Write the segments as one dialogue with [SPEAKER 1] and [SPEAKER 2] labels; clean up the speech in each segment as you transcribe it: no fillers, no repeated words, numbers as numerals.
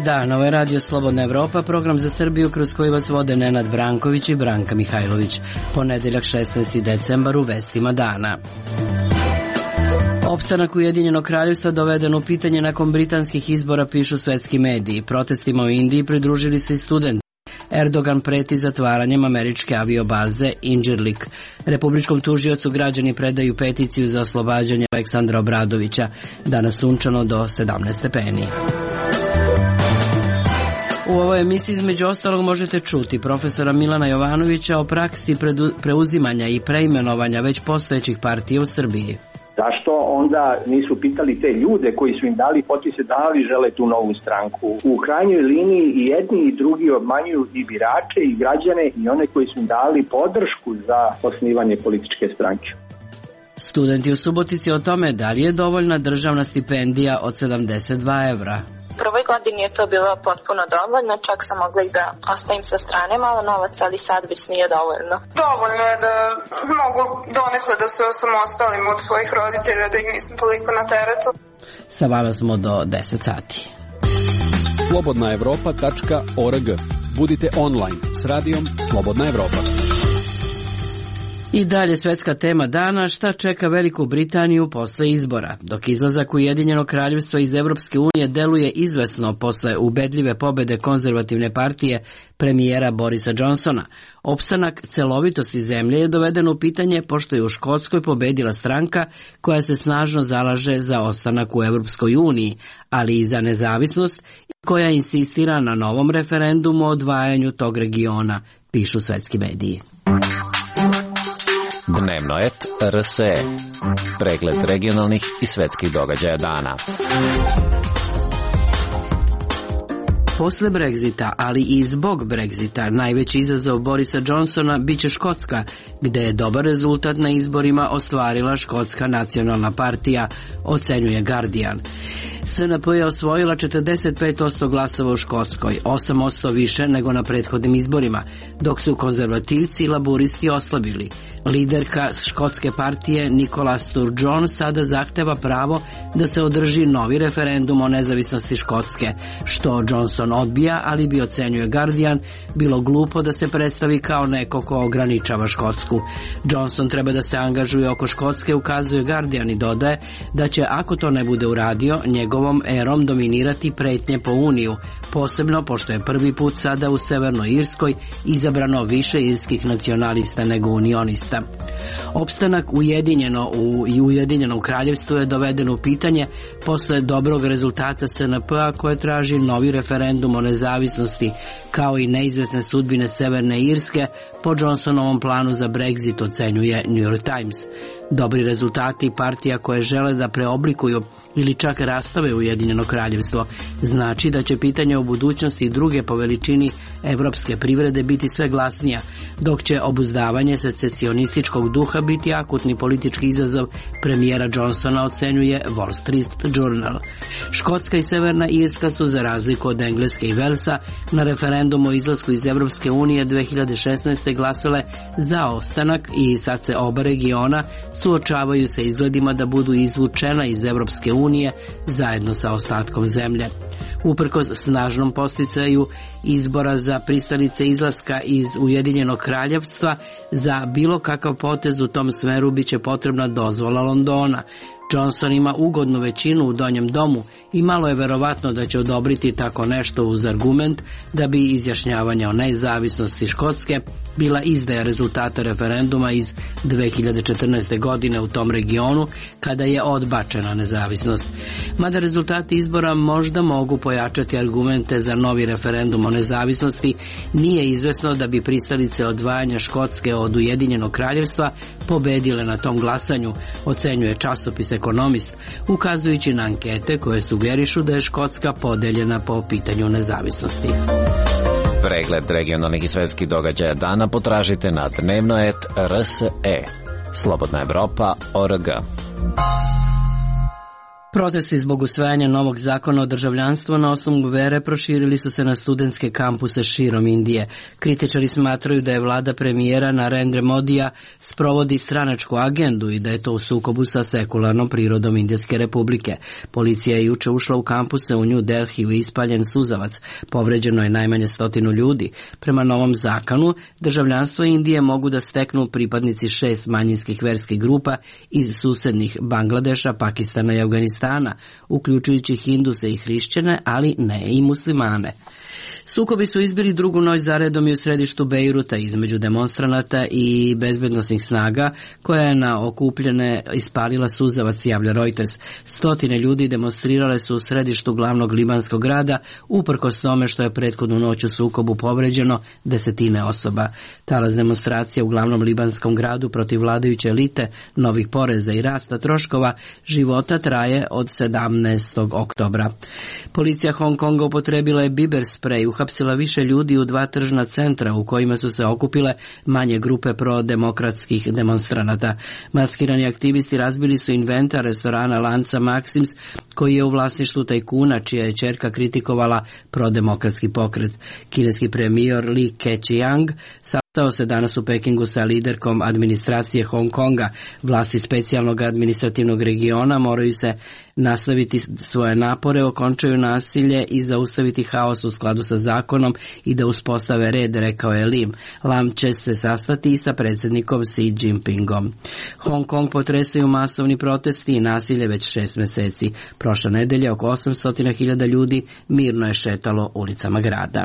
[SPEAKER 1] dan, ovo je Radio Slobodna Evropa, program za Srbiju kroz koji vas vode Nenad Branković i Branka Mihajlović. Ponedeljak 16. decembar u vestima dana. Opstanak Ujedinjenog kraljevstva doveden u pitanje nakon britanskih izbora, pišu svetski mediji. Protestima u Indiji pridružili se i studenti. Erdogan preti zatvaranjem američke aviobaze Incirlik. Republičkom tužiocu građani predaju peticiju za oslobađanje Aleksandra Obradovića. Danas sunčano do 17 stepeni. U ovoj emisiji između ostalog možete čuti profesora Milana Jovanovića o praksi preuzimanja i preimenovanja već postojećih partija u Srbiji.
[SPEAKER 2] Zašto onda nisu pitali te ljude koji su im dali potpise da li žele tu novu stranku? U krajnjoj liniji i jedni i drugi obmanjuju i birače i građane i one koji su im dali podršku za osnivanje političke stranke.
[SPEAKER 1] Studenti u Subotici o tome da li je dovoljna državna stipendija od 72 evra.
[SPEAKER 3] U prvoj godini je to bilo potpuno dovoljno, čak sam mogla i da ostavim sa strane malo novaca, ali sad već nije dovoljno.
[SPEAKER 4] Dovoljno je da mogu donekle da se osamostalim od svojih roditelja, da ih nisam toliko na teretu.
[SPEAKER 1] Sa vama smo do 10 sati.
[SPEAKER 5] slobodnaevropa.org. Budite online s radijom Slobodna Evropa.
[SPEAKER 1] I dalje svetska tema dana, šta čeka Veliku Britaniju posle izbora. Dok izlazak Ujedinjenog kraljevstva iz Evropske unije deluje izvesno posle ubedljive pobede konzervativne partije premijera Borisa Johnsona, opstanak celovitosti zemlje je doveden u pitanje pošto je u Škotskoj pobedila stranka koja se snažno zalaže za ostanak u Evropskoj uniji, ali i za nezavisnost, koja insistira na novom referendumu o odvajanju tog regiona, pišu svetski mediji.
[SPEAKER 6] Dnevnoet RSE. Pregled regionalnih i svetskih događaja dana.
[SPEAKER 1] Posle Brexita, ali i zbog Brexita, najveći izazov Borisa Johnsona biće Škotska, gde je dobar rezultat na izborima ostvarila Škotska nacionalna partija, ocenjuje Guardian. SNP je osvojila 45% glasova u Škotskoj, 8% više nego na prethodnim izborima, dok su konzervativci i laburisti oslabili. Liderka škotske partije Nicola Sturgeon sada zahteva pravo da se održi novi referendum o nezavisnosti Škotske, što Johnson odbija, ali bi, ocenjuje Guardian, bilo glupo da se predstavi kao neko ko ograničava Škotsku. Johnson treba da se angažuje oko Škotske, ukazuje Guardian, i dodaje da će, ako to ne bude uradio, njegovom erom dominirati pretnje po Uniju, posebno pošto je prvi put sada u Severnoj Irskoj izabrano više irskih nacionalista nego unionista. Opstanak Ujedinjenom kraljevstvu je doveden u pitanje posle dobrog rezultata SNP-a koje traži novi referendum o nezavisnosti, kao i neizvesne sudbine Severne Irske po Johnsonovom planu za Brexit, ocenjuje New York Times. Dobri rezultati partija koje žele da preoblikuju ili čak rastave Ujedinjeno kraljevstvo znači da će pitanje o budućnosti druge po veličini evropske privrede biti sve glasnija, dok će obuzdavanje secesionističkog duha biti akutni politički izazov premijera Johnsona, ocenjuje Wall Street Journal. Škotska i Severna Irska su, za razliku od Engleske i Velsa, na referendumu o izlasku iz Evropske unije 2016. glasale za ostanak i sad se oba regiona suočavaju sa izgledima da budu izvučena iz Evropske unije zajedno sa ostatkom zemlje. Uprkos snažnom posticaju izbora za pristalice izlaska iz Ujedinjenog kraljevstva, za bilo kakav potez u tom smeru biće potrebna dozvola Londona. Johnson ima ugodnu većinu u Donjem domu i malo je verovatno da će odobriti tako nešto uz argument da bi izjašnjavanje o nezavisnosti Škotske bila izdaja rezultata referenduma iz 2014. godine u tom regionu, kada je odbačena nezavisnost. Mada rezultati izbora možda mogu pojačati argumente za novi referendum o nezavisnosti, nije izvesno da bi pristalice odvajanja Škotske od Ujedinjenog kraljevstva pobedile na tom glasanju, ocenjuje časopis Ekonomist, ukazujući na ankete koje sugerišu da je Škotska podeljena po pitanju nezavisnosti.
[SPEAKER 6] Pregled regionalnih i svetskih događaja dana potražite na Dnevnoet RSE. Slobodna Evropa.org.
[SPEAKER 1] Protesti zbog usvajanja novog zakona o državljanstvu na osnovu vere proširili su se na studentske kampuse širom Indije. Kritičari smatraju da je vlada premijera Narendra Modija sprovodi stranačku agendu i da je to u sukobu sa sekularnom prirodom Indijske republike. Policija je juče ušla u kampuse u New Delhiju i ispaljen suzavac. Povređeno je najmanje 100 ljudi. Prema novom zakonu, državljanstvo Indije mogu da steknu pripadnici 6 manjinskih verskih grupa iz susednih Bangladeša, Pakistana i Afganistana, uključujući Hinduse i hrišćane, ali ne i muslimane. Sukobi su izbili drugu noć zaredom i u središtu Bejruta između demonstranata i bezbednosnih snaga, koja je na okupljene ispalila suzavac, javlja Reuters. 100 ljudi demonstrirale su u središtu glavnog libanskog grada, uprkos tome što je prethodnu noć u sukobu povređeno 10 osoba. Talas demonstracija u glavnom libanskom gradu protiv vladajuće elite, novih poreza i rasta troškova života traje od 17. oktobra. Policija Hong Konga upotrebila je biber sprej, uhapsila više ljudi u 2 tržna centra u kojima su se okupile manje grupe prodemokratskih demonstranata. Maskirani aktivisti razbili su inventar restorana lanca Maxims, koji je u vlasništvu tajkuna, čija je ćerka kritikovala prodemokratski pokret. Kineski premijer Li Keqiang sastao se danas u Pekingu sa liderkom administracije Hong Konga. Vlasti specijalnog administrativnog regiona moraju se nastaviti svoje napore, okončaju nasilje i zaustaviti haos u skladu sa zakonom i da uspostave red, rekao je Lim. Lam će se sastati i sa predsjednikom Xi Jinpingom. Hong Kong potresaju masovni protesti i nasilje već 6 meseci. Prošle nedelje oko 800.000 ljudi mirno je šetalo ulicama grada.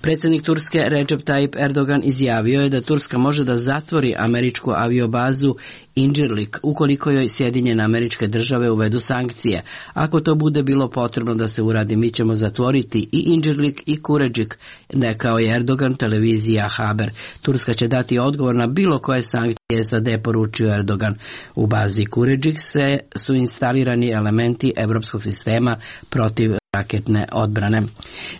[SPEAKER 1] Predsjednik Turske Recep Tayyip Erdogan izjavio je da Turska može da zatvori američku aviobazu Incirlik ukoliko joj Sjedinjene Američke Države uvedu sankcije. Ako to bude bilo potrebno da se uradi, mi ćemo zatvoriti i Incirlik i Kuređik, rekao je Erdogan televizija Haber. Turska će dati odgovor na bilo koje sankcije, SAD, poručio Erdogan. U bazi Kuređik su instalirani elementi evropskog sistema protiv raketne odbrane.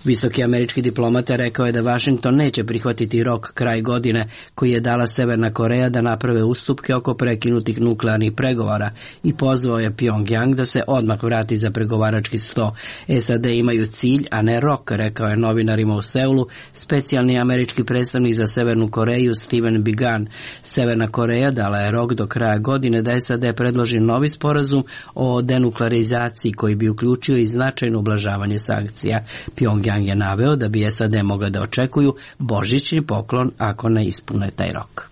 [SPEAKER 1] Visoki američki diplomata rekao je da Washington neće prihvatiti rok kraj godine koji je dala Severna Koreja da naprave ustupke oko prekinutih nuklearnih pregovora i pozvao je Pyongyang da se odmah vrati za pregovarački sto. SAD imaju cilj, a ne rok, rekao je novinarima u Seulu specijalni američki predstavnik za Severnu Koreju Steven Biegun. Severna Koreja dala je rok do kraja godine da SAD predloži novi sporazum o denuklearizaciji koji bi uključio i značajno ublažavanje sankcija. Pyongyang je naveo da bi SAD mogle da očekuju božićni poklon ako ne ispune taj rok.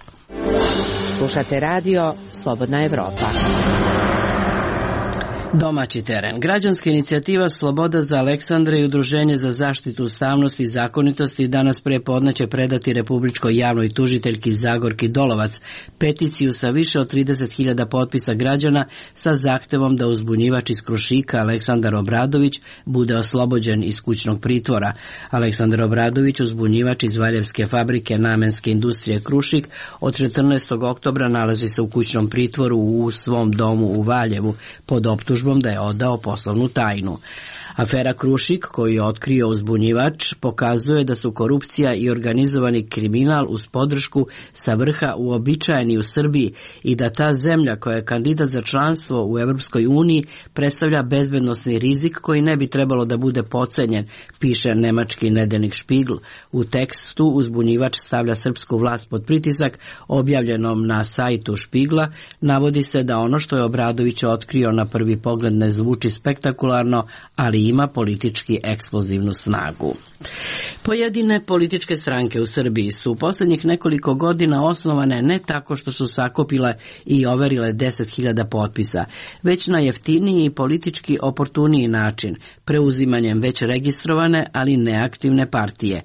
[SPEAKER 7] Slušate radio Slobodna Evropa.
[SPEAKER 1] Domaći teren. Građanska inicijativa Sloboda za Aleksandra i Udruženje za zaštitu ustavnosti i zakonitosti danas pre podne će predati Republičkoj javnoj tužiteljki Zagorki Dolovac peticiju sa više od 30.000 potpisa građana sa zahtevom da uzbunjivač iz Krušika Aleksandar Obradović bude oslobođen iz kućnog pritvora. Aleksandar Obradović, uzbunjivač iz Valjevske fabrike namenske industrije Krušik, od 14. oktobra nalazi se u kućnom pritvoru u svom domu u Valjevu pod optužbom da je odao poslovnu tajnu. Afera Krušik, koju je otkrio uzbunjivač, pokazuje da su korupcija i organizovani kriminal uz podršku sa vrha uobičajeni u Srbiji i da ta zemlja koja je kandidat za članstvo u Evropskoj uniji predstavlja bezbednosni rizik koji ne bi trebalo da bude podcenjen, piše nemački nedeljnik Spiegel. U tekstu uzbunjivač stavlja srpsku vlast pod pritisak, objavljenom na sajtu Spiegela, navodi se da ono što je Obradović otkrio na prvi pogled ne zvuči spektakularno, ali ima politički eksplozivnu snagu. Pojedine političke stranke u Srbiji su u posljednjih nekoliko godina osnovane ne tako što su sakupile i overile 10.000 potpisa, već na jeftiniji i politički oportuniji način, preuzimanjem već registrovane, ali neaktivne partije.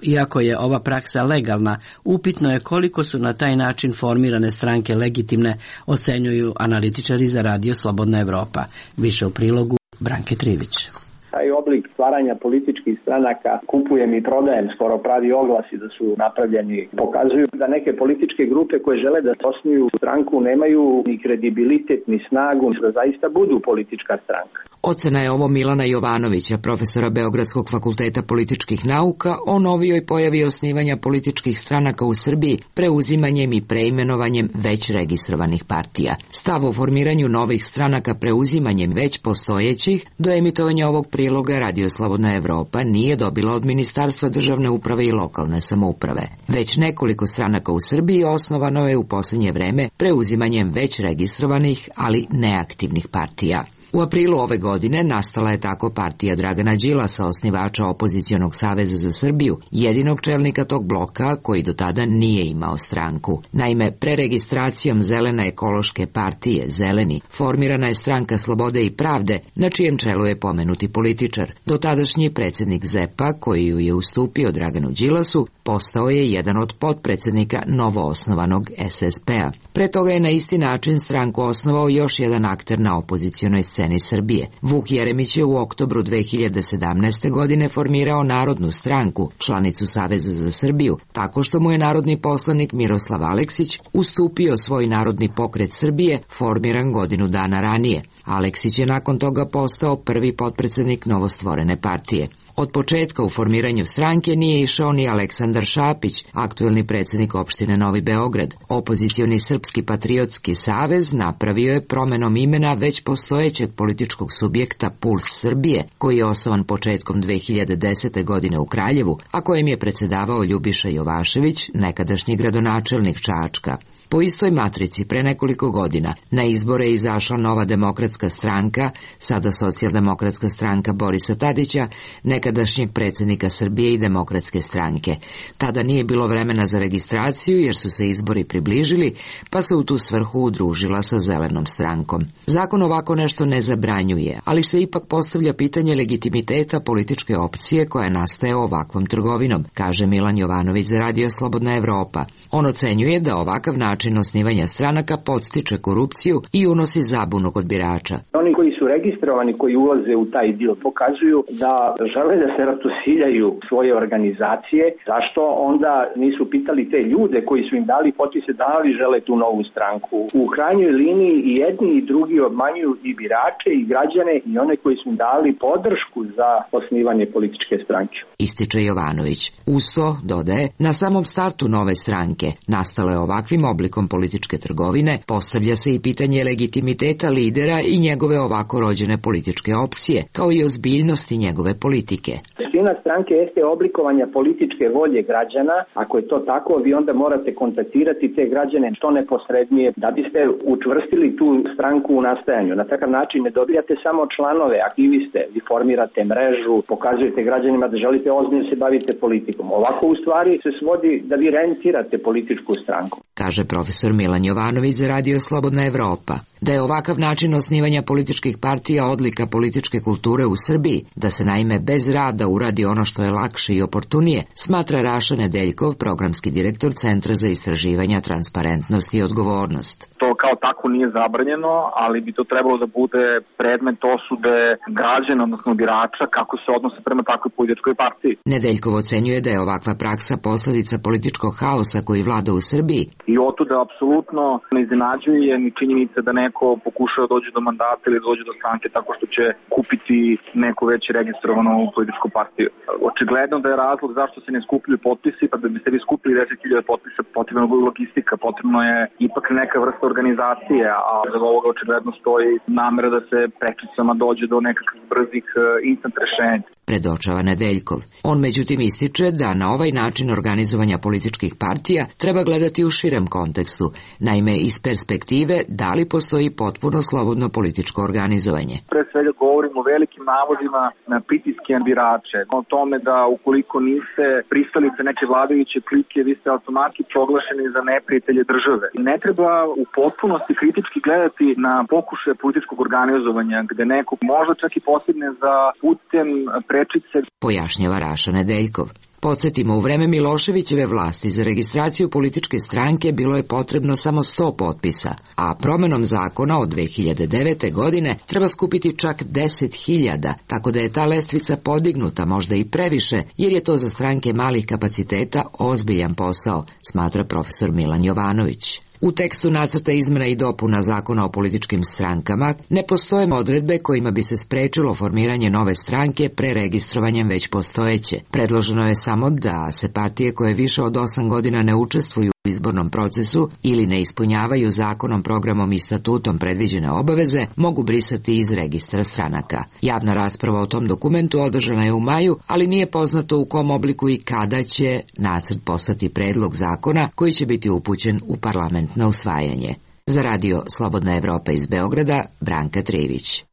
[SPEAKER 1] Iako je ova praksa legalna, upitno je koliko su na taj način formirane stranke legitimne, ocenjuju analitičari za radio Slobodna Evropa. Više u prilogu Branke Trivić.
[SPEAKER 2] Taj oblik stvaranja političkih stranaka, kupujem i prodajem, skoro pravi oglasi da su napravljeni, pokazuju da neke političke grupe koje žele da osnuju stranku nemaju ni kredibilitet ni snagu da zaista budu politička stranka.
[SPEAKER 7] Ocena je ovo Milana Jovanovića, profesora Beogradskog fakulteta političkih nauka, o novijoj pojavi osnivanja političkih stranaka u Srbiji preuzimanjem i preimenovanjem već registrovanih partija. Stav o formiranju novih stranaka preuzimanjem već postojećih do emitovanja ovog priloga Radio Slobodna Evropa nije dobila od Ministarstva državne uprave i lokalne samouprave. Već nekoliko stranaka u Srbiji osnovano je u posljednje vreme preuzimanjem već registrovanih, ali neaktivnih partija. U aprilu ove godine nastala je tako partija Dragana Đilasa, osnivača Opozicionog saveza za Srbiju, jedinog čelnika tog bloka koji do tada nije imao stranku. Naime, preregistracijom Zelene ekološke partije Zeleni formirana je stranka Slobode i pravde, na čijem čelu je pomenuti političar. Dotadašnji predsjednik ZEP-a, koji ju je ustupio Draganu Đilasu, postao je jedan od potpredsjednika novoosnovanog SSP-a. Pre toga je na isti način stranku osnovao još jedan akter na opozicionoj sceni Srbije. Vuk Jeremić je u oktobru 2017. godine formirao Narodnu stranku, članicu Saveza za Srbiju, tako što mu je narodni poslanik Miroslav Aleksić ustupio svoj Narodni pokret Srbije, formiran godinu dana ranije. Aleksić je nakon toga postao prvi potpredsjednik novostvorene partije. Od početka u formiranju stranke nije išao ni Aleksandar Šapić, aktuelni predsjednik opštine Novi Beograd. Opozicioni Srpski patriotski savez napravio je promenom imena već postojećeg političkog subjekta Puls Srbije, koji je osnovan početkom 2010. godine u Kraljevu, a kojem je predsjedavao Ljubiša Jovašević, nekadašnji gradonačelnik Čačka. Po istoj matrici pre nekoliko godina na izbore je izašla Nova demokratska stranka, sada Socijaldemokratska stranka Borisa Tadića, nekadašnjeg predsjednika Srbije i Demokratske stranke. Tada nije bilo vremena za registraciju jer su se izbori približili, pa se u tu svrhu udružila sa Zelenom strankom. Zakon ovako nešto ne zabranjuje, ali se ipak postavlja pitanje legitimiteta političke opcije koja nastaje ovakvom trgovinom, kaže Milan Jovanović za Radio Slobodna Evropa. On ocenjuje da ovakav način osnivanja stranaka podstiče korupciju i unosi zabunu kod birača.
[SPEAKER 2] Oni koji su registrovani, koji ulaze u taj dio, pokazuju da žele da se ratosiljaju svoje organizacije. Zašto onda nisu pitali te ljude koji su im dali potpise da li žele tu novu stranku? U krajnjoj liniji i jedni i drugi obmanjuju i birače i građane i one koji su im dali podršku za osnivanje političke stranke.
[SPEAKER 7] Ističe Jovanović. Uz to, dodaje, na samom startu nove stranke, nastale ovakvim oblikom političke trgovine, postavlja se i pitanje legitimiteta lidera i njegove ovako rođene političke opcije, kao i ozbiljnosti njegove politike.
[SPEAKER 2] Suština stranke jeste oblikovanja političke volje građana. Ako je to tako, vi onda morate kontaktirati te građane što neposrednije da biste učvrstili tu stranku u nastajanju. Na takav način ne dobijate samo članove, aktiviste, vi formirate mrežu, pokazujete građanima da želite ozbiljno se bavite politikom. Ovako u stvari se svodi da vi rentirate političku stranku.
[SPEAKER 7] Kaže profesor Milan Jovanović za Radio Slobodna Evropa. Da je ovakav način osnivanja političkih partija odlika političke kulture u Srbiji, da se naime bez rada uradi ono što je lakše i oportunije, smatra Raša Nedeljkov, programski direktor Centra za istraživanja, transparentnost i odgovornost.
[SPEAKER 8] To kao tako nije zabranjeno, ali bi to trebalo da bude predmet osude građana, odnosno birača, kako se odnose prema takvoj političkoj partiji.
[SPEAKER 7] Nedeljkov ocenjuje da je ovakva praksa posljedica političkog haosa koji vlada u Srbiji.
[SPEAKER 8] I otuda apsolutno ne iznenađuje ni činjenica da neko pokušava da dođe do mandata ili dođe do stranke tako što će kupiti neku već registrovanu političku partiju. Očigledno da je razlog zašto se ne skupljaju potpisi, pa da biste vi skupili 10.000 potpisa, potrebna je logistika, potrebno je ipak neka vrsta organizacije, a za ovoga očigledno stoji namera da se prečicama dođe do nekakvih brzih instant rešenja.
[SPEAKER 7] Predočava Nedeljkov. On međutim ističe da na ovaj način organizovanja političkih partija treba gledati u širem kontekstu, naime iz perspektive da li postoji potpuno slobodno političko organizovanje.
[SPEAKER 8] Pre svega govorimo o velikim navodima na pritiske na birače, o tome da ukoliko niste pristalice neke vladajuće klike, vi ste automatski proglašeni za neprijatelje države. Ne treba u potpunosti kritički gledati na pokušaje političkog organizovanja, gde neko možda čak i postigne za putem prečice.
[SPEAKER 7] Pojašnjava Raša Nedeljkov. Podsjetimo, u vreme Miloševićeve vlasti za registraciju političke stranke bilo je potrebno samo 100 potpisa, a promenom zakona od 2009. godine treba skupiti čak 10.000, tako da je ta lestvica podignuta možda i previše, jer je to za stranke malih kapaciteta ozbiljan posao, smatra profesor Milan Jovanović. U tekstu nacrta izmena i dopuna Zakona o političkim strankama ne postoje odredbe kojima bi se sprečilo formiranje nove stranke preregistrovanjem već postojeće. Predloženo je samo da se partije koje više od 8 godina ne učestvuju u izbornom procesu ili ne ispunjavaju zakonom, programom i statutom predviđene obaveze mogu brisati iz registra stranaka. Javna rasprava o tom dokumentu održana je u maju, ali nije poznato u kom obliku i kada će nacrt postati predlog zakona koji će biti upućen u parlament na usvajanje. Za radio Slobodna Evropa iz Beograda, Branka Trijević.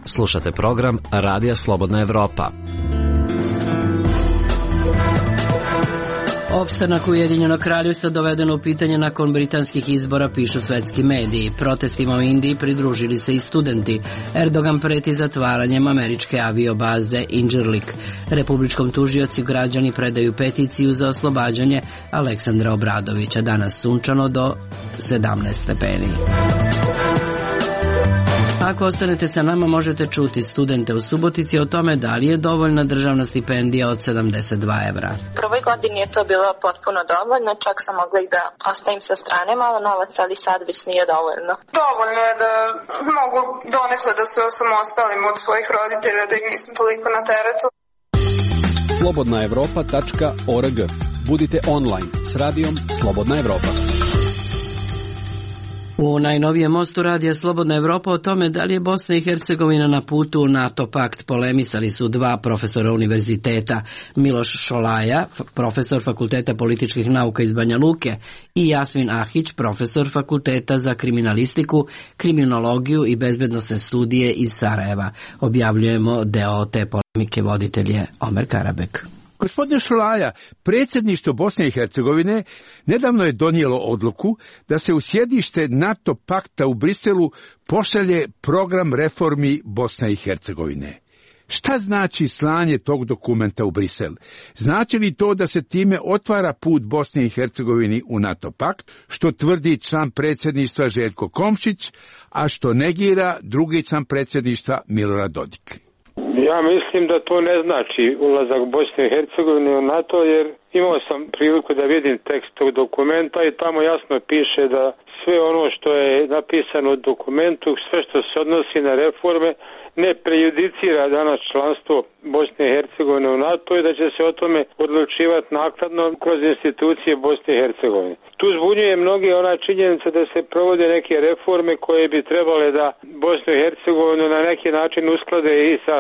[SPEAKER 6] Slušate program Radija Slobodna Evropa.
[SPEAKER 1] Opstanak Ujedinjenog kraljevstva dovedeno u pitanje nakon britanskih izbora, pišu svetski mediji. Protestima u Indiji pridružili se i studenti. Erdogan preti zatvaranjem američke aviobaze Incirlik. Republičkom tužioci građani predaju peticiju za oslobađanje Aleksandra Obradovića. Danas sunčano do 17 stepeni. Ako ostanete sa nama, možete čuti studente u Subotici o tome da li je dovoljna državna stipendija od 72 evra.
[SPEAKER 3] U prvoj godini je to bilo potpuno dovoljno, čak sam mogla i da ostavim sa strane malo novac, ali sad već nije dovoljno.
[SPEAKER 4] Dovoljno je da mogu donekle da se osamostalim od svojih roditelja, da ih nisam toliko na teretu.
[SPEAKER 5] slobodnaevropa.org. Budite online s radijom Slobodna Evropa.
[SPEAKER 1] U najnovijem mostu radija Slobodna Evropa o tome da li je Bosna i Hercegovina na putu u NATO pakt polemisali su dva profesora univerziteta, Miloš Šolaja, profesor Fakulteta političkih nauka iz Banja Luke, i Jasmin Ahić, profesor Fakulteta za kriminalistiku, kriminologiju i bezbednosne studije iz Sarajeva. Objavljujemo deo te polemike, voditelj je Omer Karabek.
[SPEAKER 9] Gospodine Šolaja, predsjedništvo Bosne i Hercegovine nedavno je donijelo odluku da se u sjedište NATO pakta u Briselu pošalje program reformi Bosne i Hercegovine. Šta znači slanje tog dokumenta u Brisel? Znači li to da se time otvara put Bosne i Hercegovini u NATO pakt, što tvrdi član predsjedništva Željko Komšić, a što negira drugi član predsjedništva Milorad Dodik?
[SPEAKER 10] Ja mislim da to ne znači ulazak Bosne i Hercegovine u NATO, jer imao sam priliku da vidim tekst tog dokumenta i tamo jasno piše da sve ono što je napisano u dokumentu, sve što se odnosi na reforme, ne prejudicira danas članstvo Bosne i Hercegovine u NATO i da će se o tome odlučivati naknadno kroz institucije Bosne i Hercegovine. Tu zbunjuje mnogi ona činjenica da se provode neke reforme koje bi trebale da Bosnu i Hercegovinu na neki način usklade i sa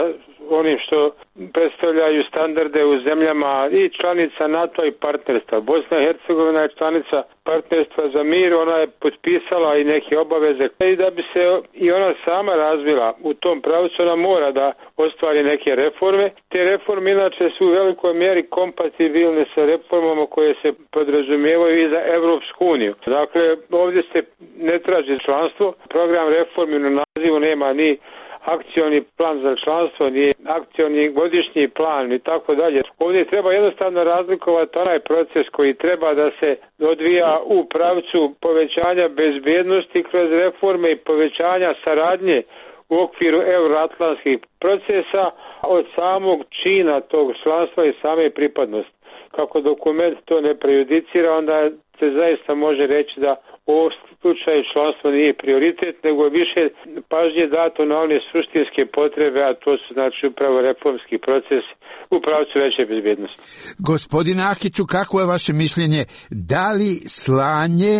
[SPEAKER 10] onim što predstavljaju standarde u zemljama i članica NATO i partnerstva. Bosna i Hercegovina je članica partnerstva za mir, ona je potpisala i neke obaveze i da bi se i ona sama razvila u tom pravcu, ona mora da ostvari neke reforme. Te reforme inače su u velikoj mjeri kompatibilne sa reformama koje se podrazumijevaju i za Evropsku uniju. Dakle, ovdje se ne traži članstvo, program reformi na nazivu nema ni akcioni plan za članstvo, ni akcioni godišnji plan i tako dalje. Ovdje treba jednostavno razlikovati onaj proces koji treba da se odvija u pravcu povećanja bezbjednosti kroz reforme i povećanja saradnje u okviru euroatlantskih procesa od samog čina tog članstva i same pripadnosti. Kako dokument to ne prejudicira, onda se zaista može reći da u ovom slučaju članstvo nije prioritet, nego više pažnje dato na one suštinske potrebe, a to su znači upravo reformski proces u pravcu veće bezbjednosti.
[SPEAKER 9] Gospodine Ahiću, kako je vaše mišljenje? Da li slanje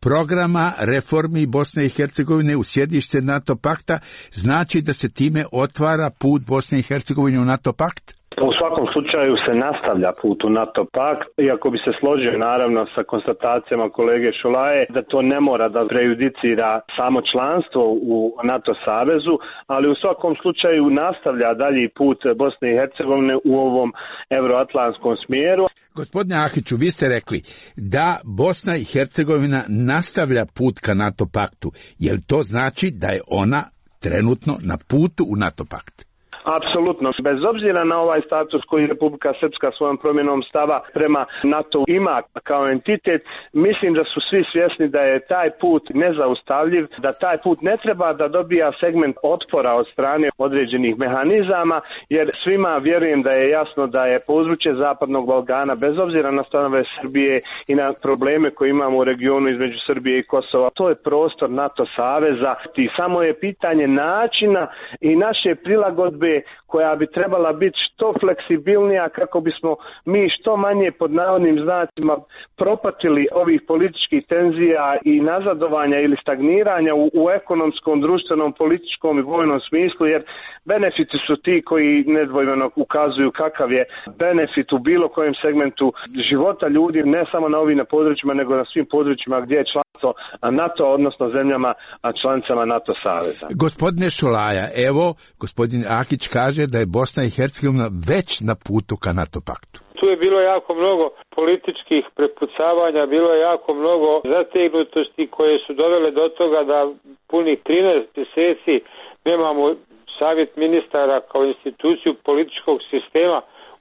[SPEAKER 9] programa reformi Bosne i Hercegovine u sjedište NATO pakta znači da se time otvara put Bosne i Hercegovine u NATO pakt?
[SPEAKER 11] U svakom slučaju se nastavlja put u NATO pakt, iako bi se složio naravno sa konstatacijama kolege Šolaje da to ne mora da prejudicira samo članstvo u NATO savezu, ali u svakom slučaju nastavlja dalji put Bosne i Hercegovine u ovom euroatlantskom smjeru.
[SPEAKER 9] Gospodine Ahiću, vi ste rekli da Bosna i Hercegovina nastavlja put ka NATO paktu. Je li to znači da je ona trenutno na putu u NATO pakt?
[SPEAKER 11] Apsolutno. Bez obzira na ovaj status koji Republika Srpska svojom promjenom stava prema NATO ima kao entitet, mislim da su svi svjesni da je taj put nezaustavljiv, da taj put ne treba da dobija segment otpora od strane određenih mehanizama, jer svima vjerujem da je jasno da je područje Zapadnog Balkana, bez obzira na stanove Srbije i na probleme koje imamo u regionu između Srbije i Kosova, to je prostor NATO saveza i samo je pitanje načina i naše prilagodbe koja bi trebala biti što fleksibilnija kako bismo mi što manje pod navodnim znacima propatili ovih političkih tenzija i nazadovanja ili stagniranja u ekonomskom, društvenom, političkom i vojnom smislu, jer benefiti su ti koji nedvojbeno ukazuju kakav je benefit u bilo kojem segmentu života ljudi, ne samo na ovim područjima, nego na svim područjima gdje je članstvo NATO, odnosno zemljama članicama NATO saveza.
[SPEAKER 9] Gospodine Šolaja, evo, gospodin Ahić kaže da je Bosna i Hercegovina već na putu ka NATO paktu.
[SPEAKER 10] Tu je bilo jako mnogo političkih prepucavanja, bilo je jako mnogo zategnutosti koje su dovele do toga da punih 13 mjeseci nemamo savjet ministara kao instituciju političkog sistema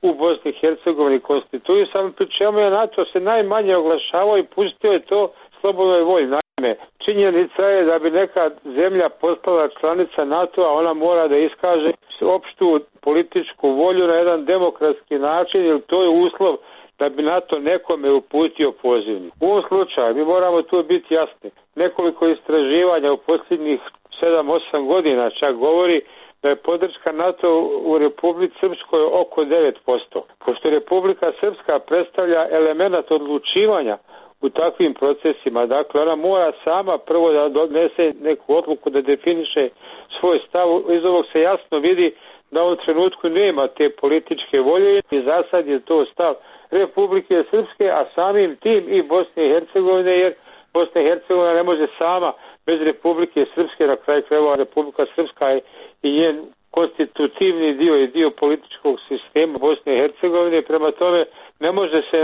[SPEAKER 10] u Bosni i Hercegovini konstituisan, pri čemu je NATO se najmanje oglašavao i pustio je to slobodnoj volji. Naime, činjenica je da bi neka zemlja postala članica NATO-a, ona mora da iskaže opštu političku volju na jedan demokratski način, jer to je uslov da bi NATO nekome uputio pozivnik. U ovom slučaju mi moramo tu biti jasni. Nekoliko istraživanja u posljednjih 7-8 godina čak govori da je podrška NATO u Republici Srpskoj oko 9%. Pošto Republika Srpska predstavlja element odlučivanja u takvim procesima, dakle ona mora sama prvo da donese neku odluku, da definiše svoj stav. Iz ovog se jasno vidi da u ovom trenutku nema te političke volje i za sad je to stav Republike Srpske, a samim tim i Bosne i Hercegovine, jer Bosna i Hercegovina ne može sama bez Republike Srpske, na kraju krajeva Republika Srpska je i njen konstitutivni dio i dio političkog sistema Bosne i Hercegovine, prema tome ne može se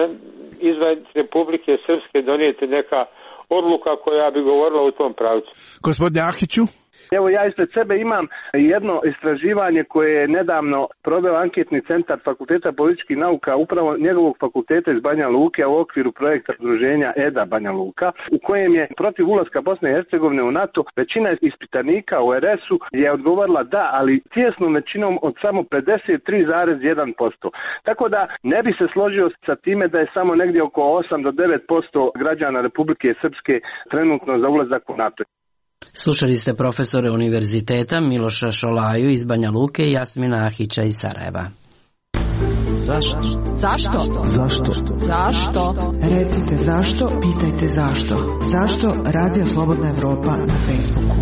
[SPEAKER 10] izvan Republike Srpske donijeti neka odluka koja bi govorila u tom pravcu.
[SPEAKER 9] Gospodine Ahiću?
[SPEAKER 11] Evo ja ispred sebe imam jedno istraživanje koje je nedavno proveo anketni centar Fakulteta političkih nauka, upravo njegovog fakulteta iz Banja Luke, u okviru projekta udruženja EDA Banja Luka, u kojem je protiv ulaska Bosne i Hercegovine u NATO većina ispitanika u RS-u je odgovorila da, ali tijesnom većinom od samo 53,1%. Tako da ne bi se složio sa time da je samo negdje oko 8 do 9% građana Republike Srpske trenutno za ulazak u NATO.
[SPEAKER 1] Slušali ste profesore univerziteta Miloša Šolaju iz Banja Luke i Jasmina Ahića iz Sarajeva.
[SPEAKER 7] Zašto? Zašto?
[SPEAKER 12] Zašto?
[SPEAKER 7] Zašto?
[SPEAKER 12] Recite zašto, pitajte zašto. Zašto Radio Slobodna Evropa na Facebooku?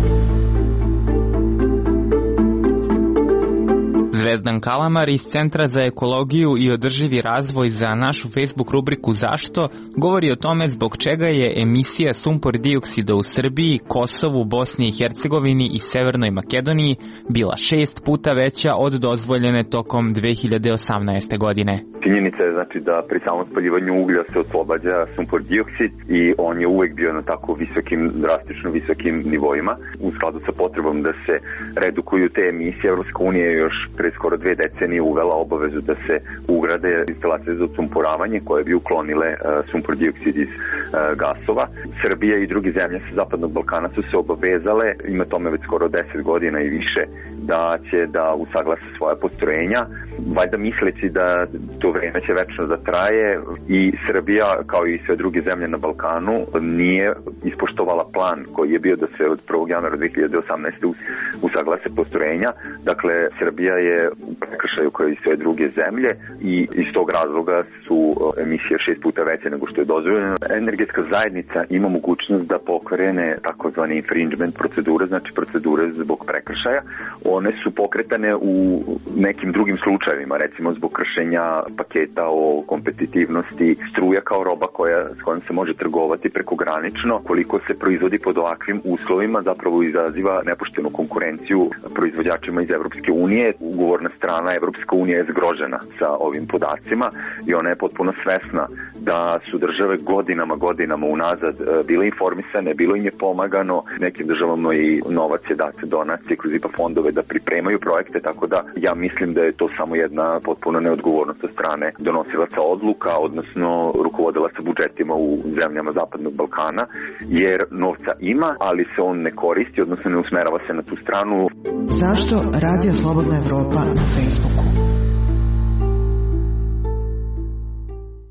[SPEAKER 13] Zvezdan Kalamar iz Centra za ekologiju i održivi razvoj za našu Facebook rubriku Zašto govori o tome zbog čega je emisija sumpor dioksida u Srbiji, Kosovu, Bosni i Hercegovini i Severnoj Makedoniji bila 6 puta veća od dozvoljene tokom 2018. godine.
[SPEAKER 14] Činjenica je znači da pri samom spaljivanju uglja se oslobađa sumpor dioksid i on je uvek bio na tako visokim, drastično visokim nivoima. U skladu sa potrebom da se redukuju te emisije, Evropska unija je još pre skoro 2 decenije uvela obavezu da se ugrade instalacije za odsumporavanje koje bi uklonile sumpor dioksid iz gasova. Srbija i druge zemlje sa Zapadnog Balkana su se obavezale, ima tome već skoro 10 godina i više, da će da usaglase svoja postrojenja, valjda misleći da to vreme će večno da traje i Srbija, kao i sve druge zemlje na Balkanu, nije ispoštovala plan koji je bio da se od 1. januara 2018. usaglase postrojenja. Dakle, Srbija je u prekršaju kao i sve druge zemlje i iz tog razloga su emisije 6 puta veće nego što je dozvoljeno. Energetska zajednica ima mogućnost da pokrene takozvani infringement procedure, znači procedure zbog prekršaja. One su pokretane u nekim drugim slučajevima, recimo zbog kršenja paketa o kompetitivnosti, struja kao roba s kojom se može trgovati prekogranično. Koliko se proizvodi pod ovakvim uslovima, zapravo izaziva nepoštenu konkurenciju proizvođačima iz Evropske unije. Ugovorna strana Evropska unija je zgrožena sa ovim podacima i ona je potpuno svesna da su države godinama unazad bile informisane, bilo im je pomagano, nekim državama i novac je dat, donacije kroz IPA fondove da pripremaju projekte, tako da ja mislim da je to samo jedna potpuno neodgovornost od strane donosilaca odluka, odnosno rukovodilaca budžetima u zemljama Zapadnog Balkana, jer novca ima, ali se on ne koristi, odnosno ne usmerava se na tu stranu.
[SPEAKER 12] Zašto Radio Slobodna Evropa na Facebooku?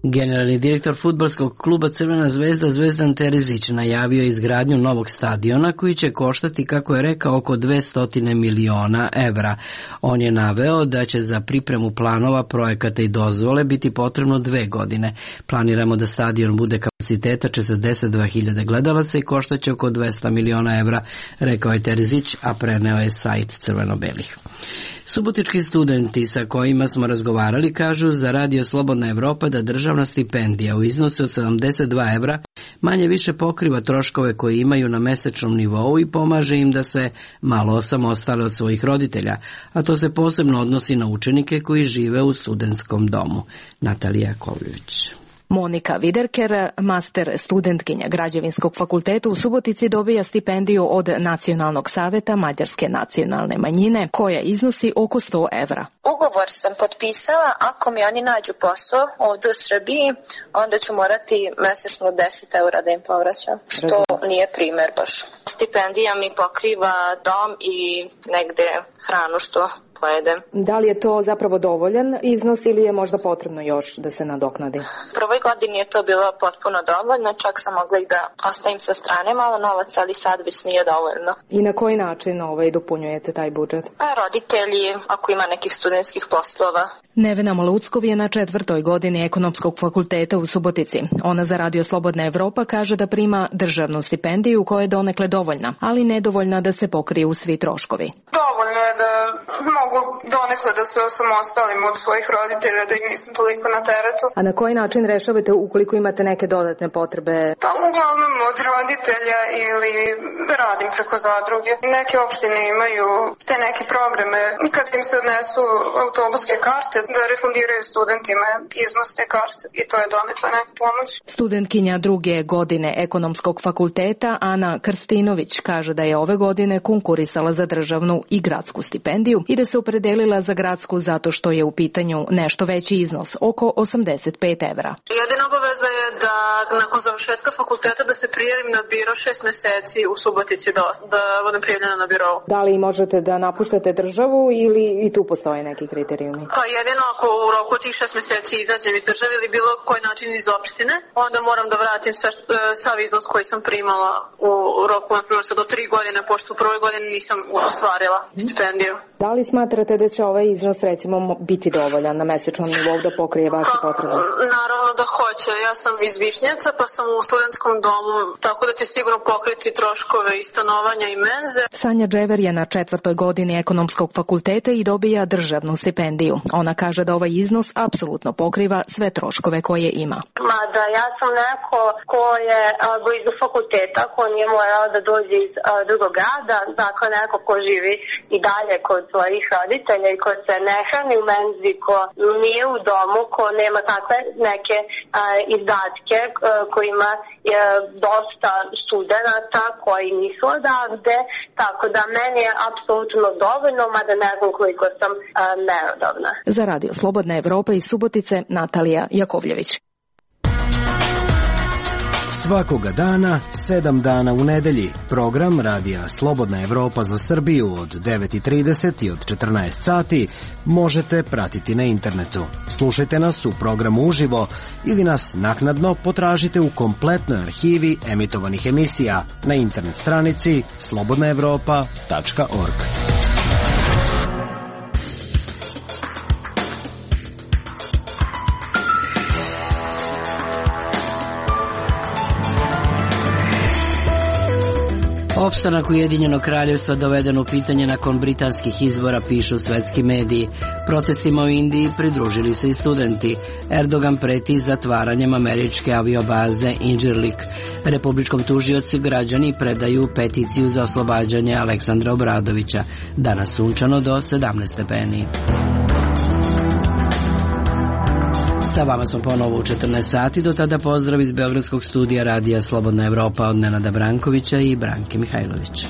[SPEAKER 1] Generalni direktor fudbalskog kluba Crvena zvezda Zvezdan Terzić najavio izgradnju novog stadiona koji će koštati, kako je rekao, oko 200 miliona evra. On je naveo da će za pripremu planova, projekata i dozvole biti potrebno 2 godine. Planiramo da stadion bude kapaciteta 42.000 gledalaca i koštaće oko 200 miliona evra, rekao je Terzić, a preneo je sajt Crveno-belih. Subotički studenti sa kojima smo razgovarali kažu za Radio Slobodna Evropa da državna stipendija u iznosu od 72 evra manje više pokriva troškove koje imaju na mesečnom nivou i pomaže im da se malo osamostale od svojih roditelja, a to se posebno odnosi na učenike koji žive u studentskom domu. Natalija Kovljević.
[SPEAKER 15] Monika Viderker, master studentkinja Građevinskog fakulteta u Subotici, dobija stipendiju od Nacionalnog saveta Mađarske nacionalne manjine, koja iznosi oko 100 evra.
[SPEAKER 3] Ugovor sam potpisala, ako mi oni nađu posao ovdje u Srbiji, onda ću morati mesečno 10 evra da im povraćam, što nije primer baš. Stipendija mi pokriva dom i negde hranu što pojedem.
[SPEAKER 15] Da li je to zapravo dovoljan iznos ili je možda potrebno još da se nadoknadi?
[SPEAKER 3] U prvoj godini je to bilo potpuno dovoljno, čak sam mogla i da ostavim sa strane malo novac, ali sad već nije dovoljno.
[SPEAKER 15] I na koji način dopunjujete taj budžet?
[SPEAKER 3] Pa roditelji, ako ima nekih studentskih poslova.
[SPEAKER 15] Nevena Maluckov je na 4. godini Ekonomskog fakulteta u Subotici. Ona za Radio Slobodna Evropa kaže da prima državnu stipendiju koja je donekle dovoljna, ali nedovoljna da se pokriju svi troškovi.
[SPEAKER 4] Dovoljno je da mogu donekle da se osamostalim od svojih roditelja, da ih nisam toliko na teretu.
[SPEAKER 15] A na koji način rešavate ukoliko imate neke dodatne potrebe?
[SPEAKER 4] Pa uglavnom od roditelja ili radim preko zadruge. Neke opštine imaju te neke programe kad im se odnesu autobuske karte da refundiraju studentima iznos te karte i to je donekle neka pomoć.
[SPEAKER 15] Studentkinja 2. godine Ekonomskog fakulteta Ana Krstinović kaže da je ove godine konkurisala za državnu i gradsku stipendiju i da se opredelila za gradsku zato što je u pitanju nešto veći iznos, oko 85 evra.
[SPEAKER 4] Jedina obaveza je da nakon završetka fakulteta da se prijavim na biro 6 meseci u Subotici da budem prijavljena na birovu.
[SPEAKER 15] Da li možete da napuštate državu ili i tu postoje neki kriterijumi?
[SPEAKER 4] Pa jedino ako u roku tih 6 meseci izađem iz države ili bilo koji način iz opštine, onda moram da vratim sav iznos koji sam primala u roku, na primjer, do 3 godine, pošto u prvoj godini nisam ostvarila stipendiju.
[SPEAKER 15] Da li smatrate da će ovaj iznos recimo biti dovoljan na mesečnom nivou da pokrije vaše potrebe?
[SPEAKER 4] Naravno da hoće. Ja sam iz Višnjevca pa sam u studentskom domu, tako da će sigurno pokriti troškove i stanovanja i menze.
[SPEAKER 15] Sanja Džever je na 4. godini Ekonomskog fakulteta i dobija državnu stipendiju. Ona kaže da ovaj iznos apsolutno pokriva sve troškove koje ima.
[SPEAKER 16] Mada ja sam neko ko je blizu fakulteta, ko nije morao da dođe iz drugog grada, dakle neko ko živi i dalje kod svojih roditelja i ko se ne hrani u menzi, ko nije u domu, ko nema takve neke izdatke kojima je dosta studenata koji nisu odavde, tako da meni je apsolutno dovoljno, mada ne znam koliko sam merodavna.
[SPEAKER 15] Za Radio Slobodna Evropa iz Subotice, Natalija Jakovljević.
[SPEAKER 17] Svakoga dana, 7 dana u nedelji, program Radija Slobodna Evropa za Srbiju od 9:30 i od 14 sati možete pratiti na internetu. Slušajte nas u programu uživo ili nas naknadno potražite u kompletnoj arhivi emitovanih emisija na internet stranici slobodnaevropa.org.
[SPEAKER 1] Opstanak Ujedinjenog kraljevstva doveden u pitanje nakon britanskih izbora, pišu svetski mediji. Protestima u Indiji pridružili se i studenti. Erdogan preti zatvaranjem američke aviobaze Incirlik. Republičkom tužiocu građani predaju peticiju za oslobađanje Aleksandra Obradovića. Danas sunčano do 17 stepeni. Sa vama smo ponovo u 14 sati, do tada pozdrav iz Beogradskog studija Radija Slobodna Evropa od Nenada Brankovića i Branke Mihajlović.